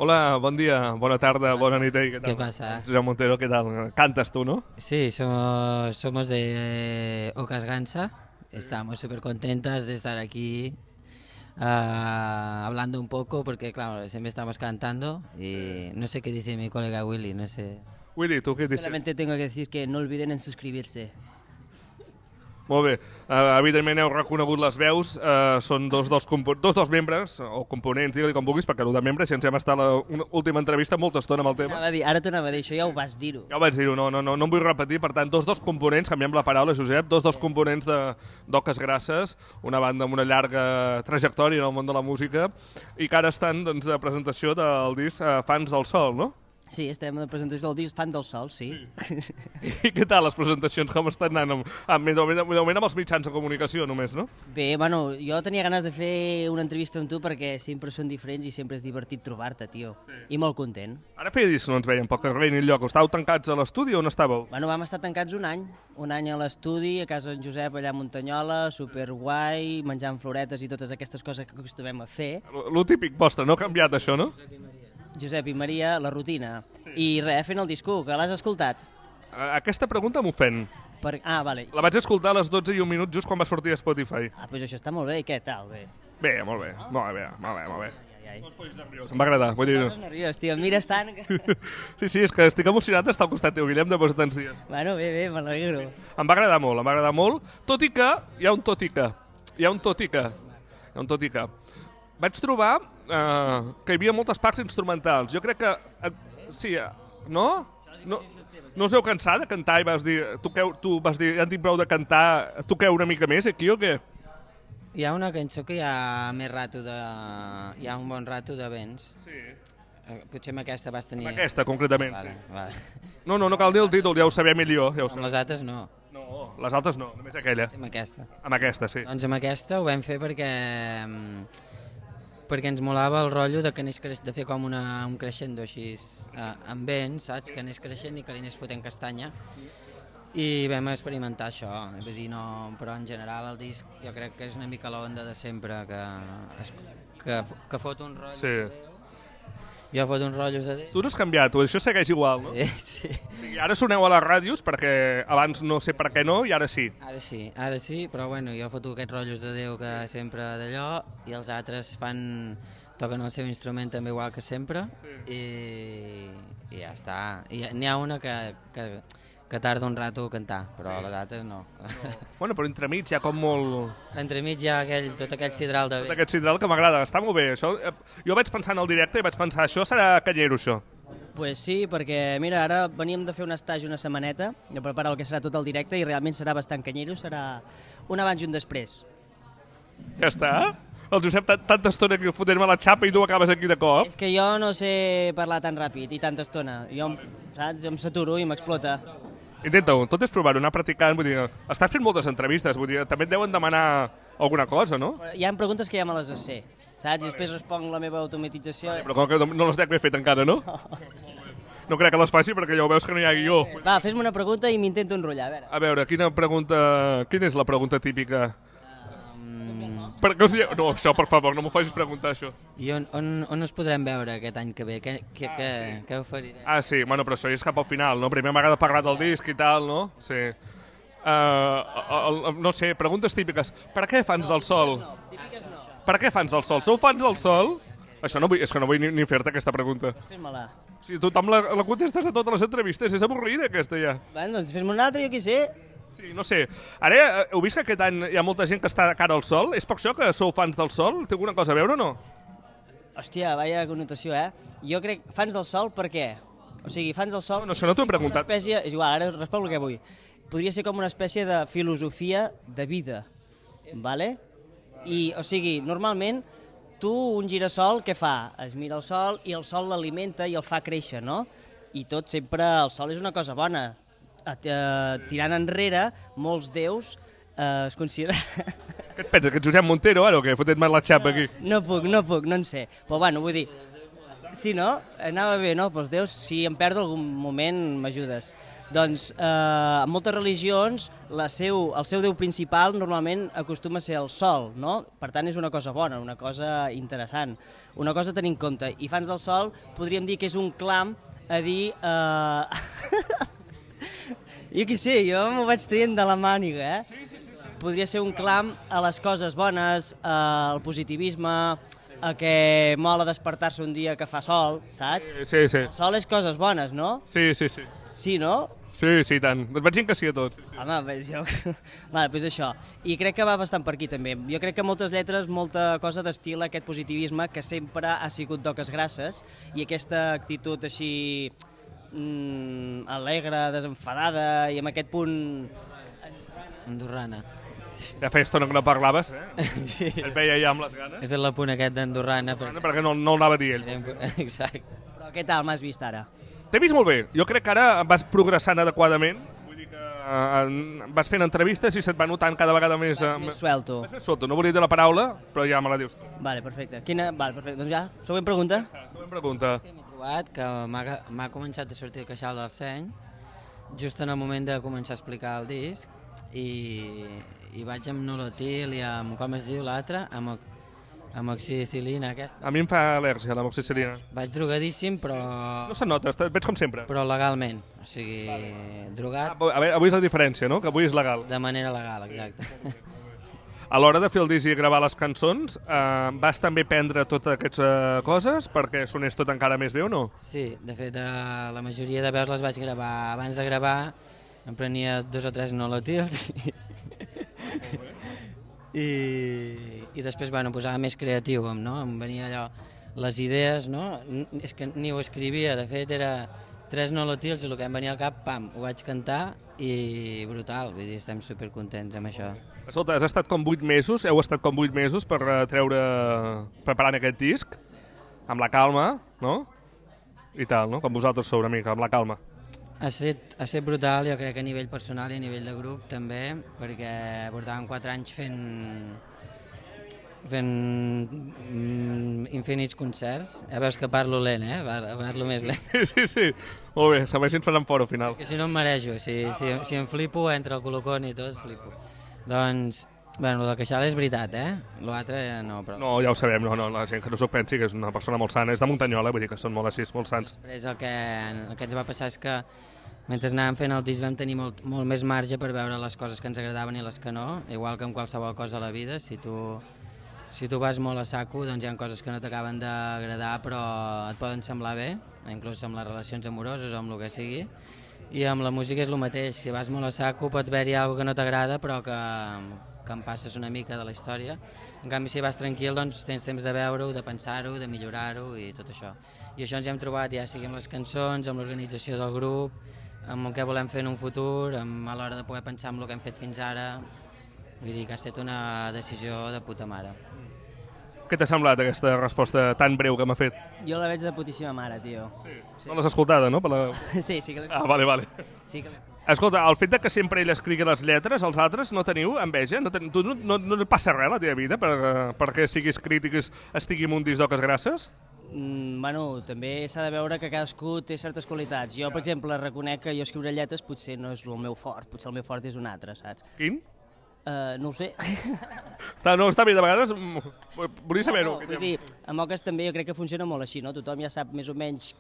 Hola, bon dia, bona tarda, bona nit. ¿Qué tal? ¿Qué pasa? Josep Montero, ¿qué tal? Cantas tú, ¿no? Sí, somos de Ocas Gansa. Estamos súper contentas de estar aquí hablando un poco porque, claro, siempre estamos cantando y no sé qué dice mi colega Willy, no sé. Willy, ¿tú qué dices? Solamente tengo que decir que no olviden en suscribirse. Molt bé. Evidentment heu reconegut les veus, són dos membres, o components, digue-li com vulguis, perquè el de membres, si ens hem estat a l'última entrevista molta estona amb el tema. Ara t'anava a dir, això ja ho vas dir-ho. Ja ho vaig dir-ho, no em vull repetir. Per tant, dos components, canviem la paraula, Josep, dos components d'Oques Grasses, una banda amb una llarga trajectòria en el món de la música, i que ara estan doncs, de presentació del disc Fans del Sol, no? Sí, estem a la presentació del disc Fan del Sol, sí. I què tal les presentacions? Com estan anant? De moment amb els mitjans de comunicació només, no? Bé, bueno, jo tenia ganes de fer una entrevista amb tu perquè sempre són diferents i sempre és divertit trobar-te, tio. Sí. I molt content. Ara feia dies que no ens veiem pel carrer ni enlloc. Estàveu tancats a l'estudi o on estàveu? Bueno, vam estar tancats un any a l'estudi, a casa d'en Josep allà a Muntanyola, superguai, menjant floretes i totes aquestes coses que acostumem a fer. Lo típic vostre, no ha canviat això, no? Josep i Maria, la rutina. Sí. I res, fent el disco, que l'has escoltat? Aquesta pregunta m'ofèn. Vale. La vaig escoltar a les 12 i un minut just quan va sortir a Spotify. Doncs això està molt bé, i què tal? Bé. Bé, molt bé. Molt bé. No et posis nerviós, em va agradar. Vull dir... No nerviós, tio, em mires tant... Sí, és que estic emocionat d'estar al costat teu, Guillem, després de tants dies. Bueno, bé, m'alegro. Sí. Em va agradar molt, tot i que hi ha un tot i que. Vaig trobar que hi havia moltes parts instrumentals. Jo crec que... Sí, no? No us heu cansat de cantar i vas dir... Tu vas dir, ja en tinc prou de cantar, toqueu una mica més aquí o què? Hi ha una cançó que hi ha més rato de... Hi ha un bon rato de vents. Sí. Potser amb aquesta vas tenir... Amb aquesta, concretament, vale, sí. Vale. No cal dir el títol, ja ho sabia millor. Ja ho Amb les altres no. No, les altres no, només aquella. Sí, amb aquesta. Amb aquesta, sí. Doncs amb aquesta ho vam fer perquè ens molava el rotllo de que anés de fer com un crescendo així amb vents, saps? Que anés creixent i que li anés fotent castanya. I vam experimentar això, vull dir, no, però en general el disc jo crec que és una mica l'onda de sempre, que fot un rotllo de Déu. Jo fot uns rotllos de Déu. Tu no has canviat, això segueix igual, no? Sí. Ara soneu a les ràdios perquè abans no sé per què no i ara sí. Ara sí, però bueno, jo foto aquests rotllos de Déu que sempre d'allò i els altres toquen el seu instrument també igual que sempre, sí. I ja està. I n'hi ha una que tarda un rato a cantar, però sí. Les altres no. Bueno, però entremig hi ha com molt... Entremig hi ha tot aquell sidral de Tot aquest sidral que m'agrada, està molt bé. Això, jo vaig pensar en el directe i vaig pensar, això serà canyero, això. Pues sí, perquè mira, ara veníem de fer un estatge una setmaneta, de preparar el que serà tot el directe i realment serà bastant canyero, serà un abans i un després. Ja està? El Josep tanta estona que fotent-me la xapa i tu acabes aquí de cop. És que jo no sé parlar tan ràpid i tanta estona. Jo, saps, em saturo i m'explota. Intenta-ho, tot és provar-ho, anar practicant, vull dir, estàs fent moltes entrevistes, vull dir, també et deuen demanar alguna cosa, no? Hi ha preguntes que ja me les sé, saps? I després responc la meva automatització. Però com que no les dec haver fet encara, no? No crec que les faci perquè ja ho veus que no hi ha guió. Va, fes-me una pregunta i m'intento enrotllar, a veure. Quina és la pregunta típica? No, això, per favor, no m'ho facis preguntar, això. I on us podrem veure aquest any que ve? Què oferirem? Ah, sí, bueno, però això és cap al final, no? Primer m'agrada parlar del disc i tal, no? Sí. No sé, preguntes típiques. Per què Fans del Sol? Típiques no. Per què Fans del Sol? Sou fans del Sol? Això no vull, és que no vull ni fer-te aquesta pregunta. Fes-me-la. Si tothom la contestes a totes les entrevistes, és avorrida aquesta ja. Bueno, doncs fes-me una altra, jo què sé. Sí, no sé. Ara, heu vist que aquest any hi ha molta gent que està de cara al sol? És per això que sou fans del sol? Té alguna cosa a veure o no? Hòstia, vaya connotació, eh? Jo crec, fans del sol, per què? O sigui, fans del sol... No, això no t'ho he preguntat. És igual, ara responc el que vull. Podria ser com una espècie de filosofia de vida, vale? I, o sigui, normalment, un girassol, què fa? Es mira el sol i el sol l'alimenta i el fa créixer, no? I tot sempre, el sol és una cosa bona. Tirant enrere, molts déus es consideren... Què et penses, que ets Josep Montero, ara, o què? Fotet-me la xapa aquí. No puc, no en sé. Però bueno, vull dir... Sí, no? Anava bé, no? Doncs Déu, si em perdo algun moment, m'ajudes. Doncs en moltes religions el seu déu principal normalment acostuma a ser el sol, no? Per tant, és una cosa bona, una cosa interessant, una cosa a tenir en compte. I fans del sol podríem dir que és un clam a dir... Jo què sé, jo m'ho vaig traient de la màniga, Sí. Podria ser un clam a les coses bones, al positivisme, a que mola despertar-se un dia que fa sol, saps? Sí. El sol és coses bones, no? Sí. Sí, no? Sí, tant. Et vaig dir que sí a tots. Sí. Home, jo... Vale, doncs això. I crec que va bastant per aquí, també. Jo crec que moltes lletres, molta cosa d'estil aquest positivisme que sempre ha sigut d'oques grasses i aquesta actitud així alegre, desenfadada i amb aquest punt... Andorrana. Ja feia estona que no parlaves, Sí. Et veia ja amb les ganes. He fet l'apunt aquest d'Andorrana. Perquè no el anava a dir ell. Exacte. Però què tal m'has vist ara? T'he vist molt bé. Jo crec que ara vas progressant adequadament. Vull dir que vas fent entrevistes i se't va notant cada vegada més... Més suelto. Més suelto. No volia dir la paraula, però ja me la dius tu. Vale, perfecte. Vale, perfecte. Doncs ja, següent pregunta. Següent pregunta. M'he trobat que m'ha començat a sortir el queixal del seny just en el moment de començar a explicar el disc i vaig amb nolotil i amb, com es diu l'altre, amb amoxicilina aquesta. A mi em fa al·lèrgia l'amoxicilina. Vaig drogadíssim, però... No se nota, veig com sempre. Però legalment, o sigui, drogat A veure, avui és la diferència, no? Que avui és legal. de manera legal, exacte. A l'hora de fer el disc i gravar les cançons, vas també prendre totes aquestes coses perquè sonés tot encara més bé o no? Sí, de fet, la majoria de veus les vaig gravar abans de gravar, em prenia 2 o 3 nolotils i després, bueno, em posava més creatiu, no? Em venia allò, les idees, no? És que ni ho escrivia, de fet era 3 nolotils i el que em venia al cap, pam, ho vaig cantar i brutal, vull dir, estem supercontents amb això. Escolta, has estat com 8 mesos, heu estat com 8 mesos per preparant aquest disc, amb la calma, no? I tal, no? Com vosaltres sou una mica, amb la calma. Ha set brutal, jo crec que a nivell personal i a nivell de grup també, perquè portàvem 4 anys fent infinits concerts. Ja veus que parlo lent, parlo més lent. Sí, molt bé, se m'hagi faran fora al final. És que si no em marejo, si em flipo, entre el colocón i tot, flipo. Doncs, bueno, el del queixal és veritat, l'altre no, però... No, ja ho sabem, no, la gent que no s'ho pensi que és una persona molt sana, és de Muntanyola, vull dir que són molt així, molt sants. Després el que ens va passar és que mentre anàvem fent el disc vam tenir molt més marge per veure les coses que ens agradaven i les que no, igual que amb qualsevol cosa a la vida, si tu vas molt a saco, doncs hi ha coses que no t'acaben d'agradar però et poden semblar bé, inclús amb les relacions amoroses o amb el que sigui, i amb la música és el mateix, si vas molt a saco pot haver-hi alguna que no t'agrada però que em passes una mica de la història. En canvi, si vas tranquil, doncs tens temps de veure-ho, de pensar-ho, de millorar-ho i tot això. I això ens hem trobat ja sigui amb les cançons, amb l'organització del grup, amb el que volem fer en un futur, a l'hora de poder pensar en el que hem fet fins ara. Vull dir que ha estat una decisió de puta mare. Què t'ha semblat aquesta resposta tan breu que m'ha fet? Jo la veig de putíssima mare, tio. Sí. No l'has escoltada, no? Sí que l'he Ah, vale. Sí que Escolta, el fet de que sempre ell escrigui les lletres, els altres no teniu enveja? Tu no et passa res a la teva vida perquè siguis crític i estigui en un disc d'oques grasses? Bueno, també s'ha de veure que cadascú té certes qualitats. Jo, per exemple, reconec que jo escriure lletres potser no és el meu fort, potser el meu fort és un altre, saps? Quin? No ho sé. No, està bé, de vegades volia saber-ho. Vull dir, amb oques també jo crec que funciona molt així, no? Tothom ja sap més o menys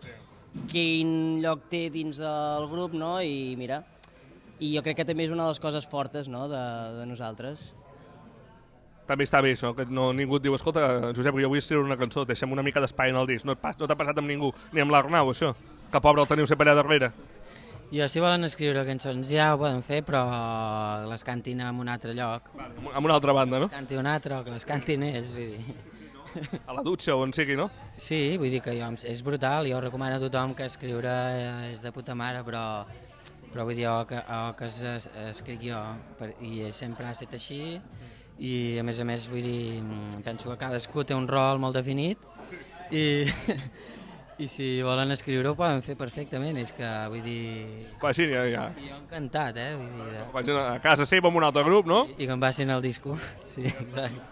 quin lloc té dins del grup, no? I mira, i jo crec que també és una de les coses fortes, no?, de nosaltres. També està bé això, que ningú et diu, escolta, Josep, jo vull escriure una cançó, deixem una mica d'espai en el disc. No t'ha passat amb ningú, ni amb l'Arnau, això, que pobre el teniu sempre allà darrere. Jo, si volen escriure cançons ja ho poden fer, però les cantin en un altre lloc. Amb una altra banda, no? Que canti un altre o que les cantin ells, vull dir. A la dutxa o on sigui, no? Sí, vull dir que és brutal, jo recomano a tothom que escriure és de puta mare, però vull dir, que escric jo, i sempre ha estat així, i a més, vull dir, penso que cadascú té un rol molt definit, i si volen escriure ho poden fer perfectament, és que, vull dir... Vagin, ja. I jo encantat, vull dir... Vagin a casa seva amb un altre grup, no? I que em passin el disco, sí, exacte.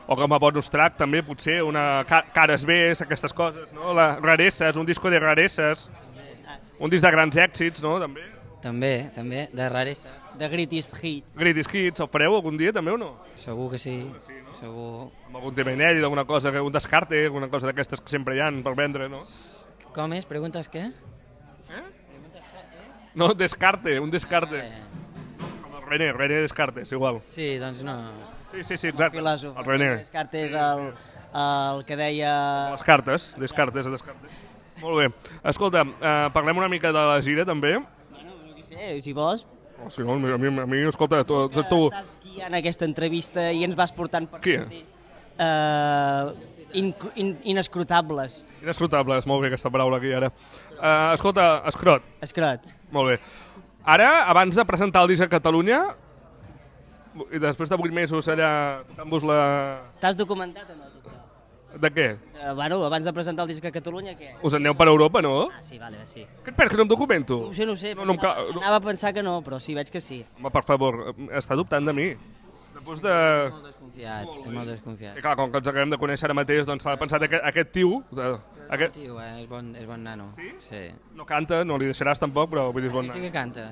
o com a bonus track també, potser, una Cares B, aquestes coses, no? La Rareses, un disco de rareses, un disc de grans èxits, no? També, de raresa. De Greatest Hits. Greatest Hits, el fareu algun dia també o no? Segur que sí, segur. Amb algun tema inèdit, alguna cosa, un descarte, alguna cosa d'aquestes que sempre hi ha per vendre, no? Com és? Preguntes què? No, descarte, un descarte. Com el René Descartes, igual. Sí, doncs no. Sí, exacte. Filòsof. El René. Descartes el que deia... Descartes. Molt bé. Escolta, parlem una mica de la gira, també. Bueno, no sé, si vols... Si no, a mi, escolta, tu... Estàs guiant aquesta entrevista i ens vas portant per senders inescrutables. Inescrutables, molt bé aquesta paraula aquí ara. Escolta, Escrot. Molt bé. Ara, abans de presentar el disc a Catalunya, i després de 8 mesos allà tocant-vos la... T'has documentat o no? De què? Bueno, abans de presentar el disc a Catalunya, què? Us aneu per Europa, no? Ah, sí, vale, sí. Què et penses, que no em documento? No sé. Anava a pensar que no, però sí, veig que sí. Home, per favor, està dubtant de mi. Després de... És molt desconfiat. I clar, com que ens acabem de conèixer ara mateix, doncs s'ha pensat aquest tio... Tio, és bon nano. Sí? No canta, no li deixaràs tampoc, però vull dir, és bon nano. Sí que canta.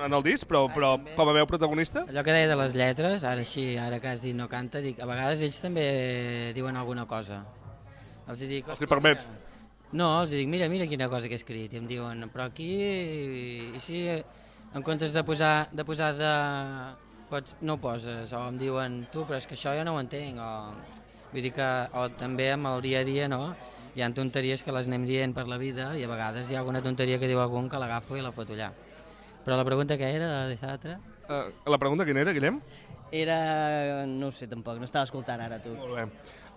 En el disc, però com a veu protagonista? Allò que deia de les lletres, ara que has dit no canta, dic, a vegades ells també diuen alguna cosa. Els dic... Els hi permets? No, els dic, mira quina cosa que he escrit. I em diuen, però aquí... I si en comptes de posar no ho poses, o em diuen, tu, però és que això jo no ho entenc, vull dir que, o també amb el dia a dia, no? Hi ha tonteries que les anem dient per la vida i a vegades hi ha alguna tonteria que diu algun que l'agafo i la foto allà. Però la pregunta que era, de l'altra? La pregunta quina era, Guillem? Era... no ho sé tampoc, no estava escoltant ara tu. Molt bé.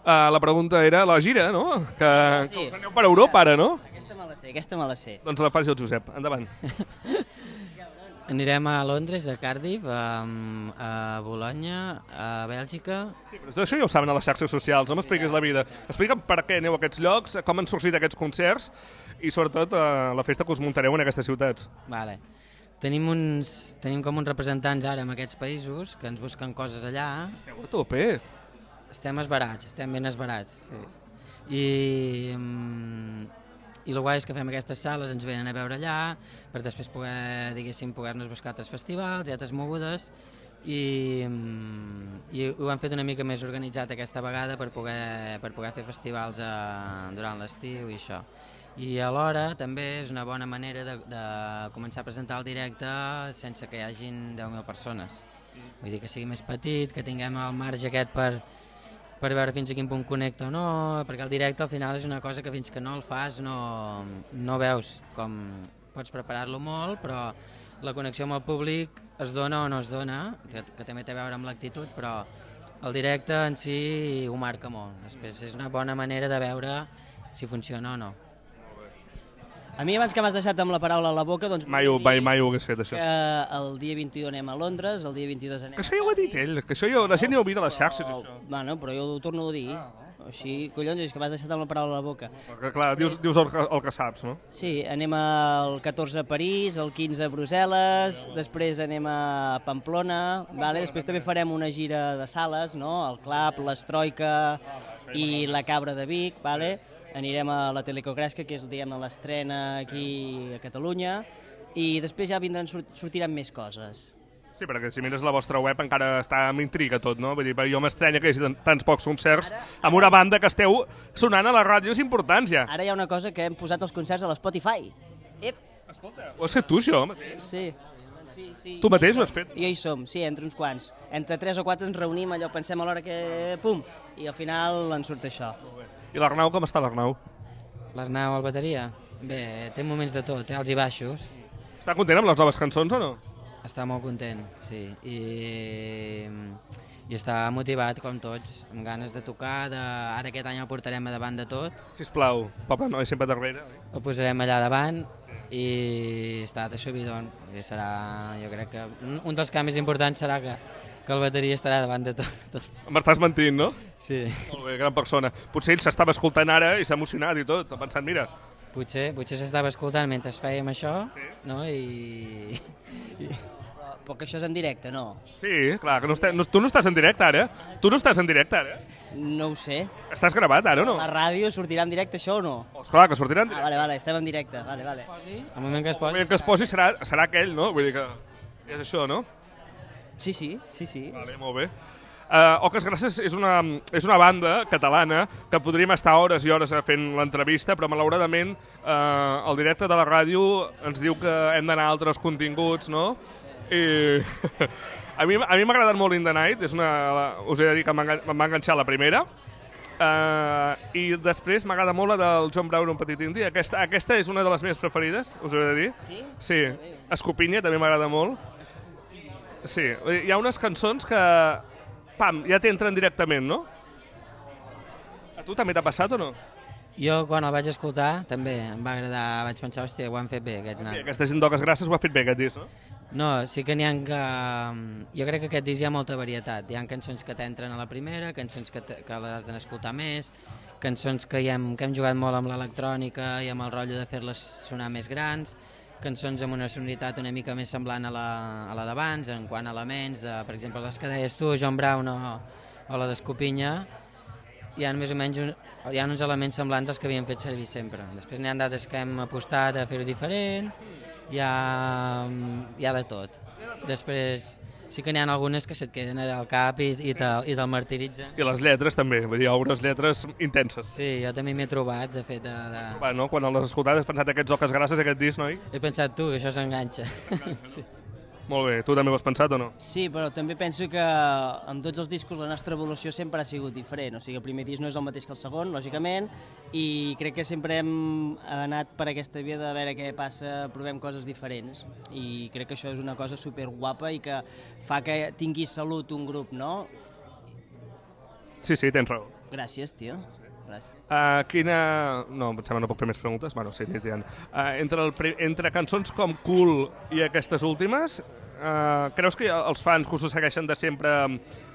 La pregunta era la gira, no? Que us aneu per Europa ara, no? Aquesta me la sé. Doncs la faci el Josep, endavant. Anirem a Londres, a Cardiff, a Bologna, a Bèlgica... Sí, però això ja ho saben a les xarxes socials, no m'expliquis la vida. Explica'm per què aneu a aquests llocs, com han sorgit aquests concerts i sobretot la festa que us muntareu en aquestes ciutats. Vale. Tenim com uns representants ara en aquests països que ens busquen coses allà. Esteu a tope. Estem esbarats, estem ben esbarats. Sí. I el guai és que fem aquestes sales, ens venen a veure allà, per després poder-nos buscar altres festivals i altres mogudes, i ho hem fet una mica més organitzat aquesta vegada per poder fer festivals durant l'estiu i això. I alhora també és una bona manera de començar a presentar el directe sense que hi hagin 10.000 persones. Vull dir que sigui més petit, que tinguem el marge aquest per veure fins a quin punt connecta o no, perquè el directe al final és una cosa que fins que no el fas no veus com pots preparar-lo molt, però la connexió amb el públic es dona o no es dona, que també té a veure amb l'actitud, però el directe en si ho marca molt. Després és una bona manera de veure si funciona o no. A mi, abans que m'has deixat amb la paraula a la boca, doncs... Mai ho hagués fet, això. Que el dia 21 anem a Londres, el dia 22 anem... Que això ja ho ha dit ell, que això la gent ja ho mira a les xarxes, això. Bueno, però jo ho torno a dir. Així, collons, és que m'has deixat amb la paraula a la boca. Perquè, clar, dius el que saps, no? Sí, anem el 14 a París, el 15 a Brussel·les, després anem a Pamplona, vale? Després també farem una gira de sales, no? El Club, l'Estroika i la Cabra de Vic, vale? Anirem a la Telecocresca, que és l'estrena aquí a Catalunya, i després ja sortiran més coses. Sí, perquè si mires la vostra web encara està amb intriga tot, no? Vull dir, jo m'estranya que hi hagi tants pocs concerts amb una banda que esteu sonant a les ràdios importants ja. Ara hi ha una cosa que hem posat els concerts a l'Spotify. Escolta, ho has fet tu, això, mateix? Sí. Tu mateix ho has fet? I hi som, sí, entre uns quants. Entre 3 o 4 ens reunim, allò pensem a l'hora que... pum! I al final ens surt això. I l'Arnau, com està l'Arnau? L'Arnau, el bateria? Bé, té moments de tot, alts i baixos. Està content amb les noves cançons o no? Està molt content, sí. I està motivat, com tots, amb ganes de tocar. Ara aquest any el portarem a davant de tot. Sisplau, Papa Noi sempre darrere. El posarem allà davant i està de subidon. I serà, jo crec que un dels canvis importants serà que el bateria estarà davant de tots. M'estàs mentint, no? Sí. Molt bé, gran persona. Potser ell s'estava escoltant ara i s'ha emocionat i tot, ha pensat, mira... Potser s'estava escoltant mentre fèiem això, no? Però que això és en directe, no? Sí, clar, que tu no estàs en directe ara. Tu no estàs en directe ara. No ho sé. Estàs gravat ara o no? La ràdio sortirà en directe això o no? Esclar, que sortirà en directe. Vale, estem en directe, vale. El moment que es El posi... moment que es posi serà aquell, no? Vull dir que és això, no? Sí. Vale, molt bé. Oques Grasses és una banda catalana que podríem estar hores i hores fent l'entrevista, però malauradament el directe de la ràdio ens diu que hem d'anar a altres continguts, no? I a mi m'ha agradat molt In The Night, us he de dir que em va enganxar la primera, i després m'agrada molt la del John Brown, un petit indi. Aquesta és una de les meves preferides, us ho he de dir. Sí? Sí. Escopinya també m'agrada molt. Sí, hi ha unes cançons que pam, ja t'entren directament, no? A tu també t'ha passat o no? Jo, quan el vaig escoltar, també em va agradar, vaig pensar, hòstia, ho han fet bé, aquests nanos. Aquesta gent d'Oques Grasses ho ha fet bé, aquest disc, no? No, sí que n'hi ha que... Jo crec que aquest disc hi ha molta varietat. Hi ha cançons que t'entren a la primera, cançons que les has d'escoltar més, cançons que hem jugat molt amb l'electrònica i amb el rotllo de fer-les sonar més grans, cançons amb una sonoritat una mica més semblant a la d'abans, en quant a elements, per exemple, les que deies tu, John Brown o la d'Escopinya, hi ha més o menys uns elements semblants als que havíem fet servir sempre. Després n'hi ha d'altres que hem apostat a fer-ho diferent, hi ha de tot. Després sí que n'hi ha algunes que se't queden al cap i te'l martiritzen. I les lletres també, vull dir, unes lletres intenses. Sí, jo també m'he trobat, de fet. No? Quan les has escoltat has pensat aquests Oques Grasses, aquest disc, noi? He pensat tu, que això s'enganxa. Sí. Molt bé, tu també ho has pensat o no? Sí, però també penso que amb tots els discos la nostra evolució sempre ha sigut diferent. O sigui, el primer disc no és el mateix que el segon, lògicament, i crec que sempre hem anat per aquesta via de veure què passa, provem coses diferents. I crec que això és una cosa superguapa i que fa que tingui salut un grup, no? Sí, tens raó. Gràcies, tio. Gràcies. No, em sembla no puc fer més preguntes. Bueno, sí, n'hi ha. Entre cançons com Cool i aquestes últimes, creus que els fans que us ho segueixen de sempre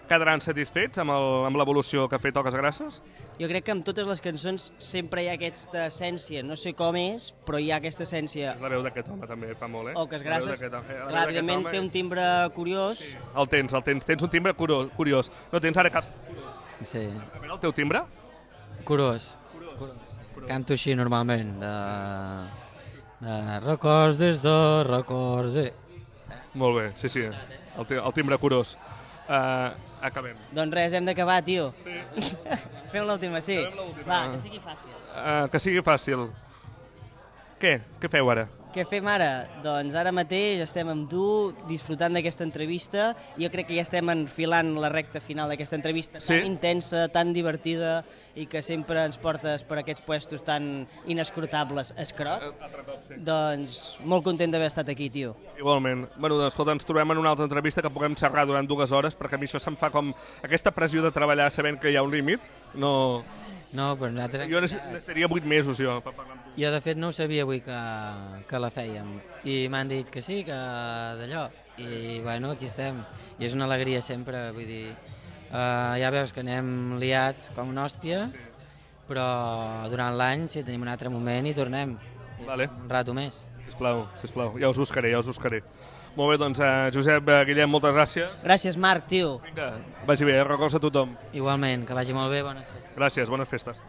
quedaran satisfets amb l'evolució que ha fet Oques Grasses? Jo crec que amb totes les cançons sempre hi ha aquesta essència, no sé com és, però hi ha aquesta essència. És la veu d'aquest home també, fa molt, eh? Oques Grasses. Clar, evidentment té un timbre curiós. Sí, el tens un timbre curiós. No tens ara cap... Sí. A veure, el teu timbre? Curós. Canto així normalment, de records records de... Molt bé, sí, el timbre curós. Acabem. Doncs res, hem d'acabar, tio. Sí. Fem l'última, sí. Va, que sigui fàcil. Que sigui fàcil. Què feu ara? Què fem ara? Doncs ara mateix estem amb tu, disfrutant d'aquesta entrevista. Jo crec que ja estem enfilant la recta final d'aquesta entrevista tan intensa, tan divertida i que sempre ens portes per aquests puestos tan inescrotables, escrot. Doncs molt content d'haver estat aquí, tio. Igualment. Bueno, doncs, escolta, ens trobem en una altra entrevista que puguem xerrar durant 2 hores, perquè a mi això se'm fa com aquesta pressió de treballar sabent que hi ha un límit. No, però nosaltres... Jo necessitaria 8 mesos, jo, per parlar amb tu. Jo, de fet, no ho sabia avui que la fèiem. I m'han dit que sí, que d'allò. I, bueno, aquí estem. I és una alegria sempre, vull dir... ja veus que anem liats com una hòstia, però durant l'any, si tenim un altre moment, hi tornem. Vale. Un rato més. Sisplau. Ja us buscaré. Molt bé, doncs, Josep, Guillem, moltes gràcies. Gràcies, Marc, tio. Vinga, vagi bé, records a tothom. Igualment, que vagi molt bé, bones festes. Gràcies, bones festes.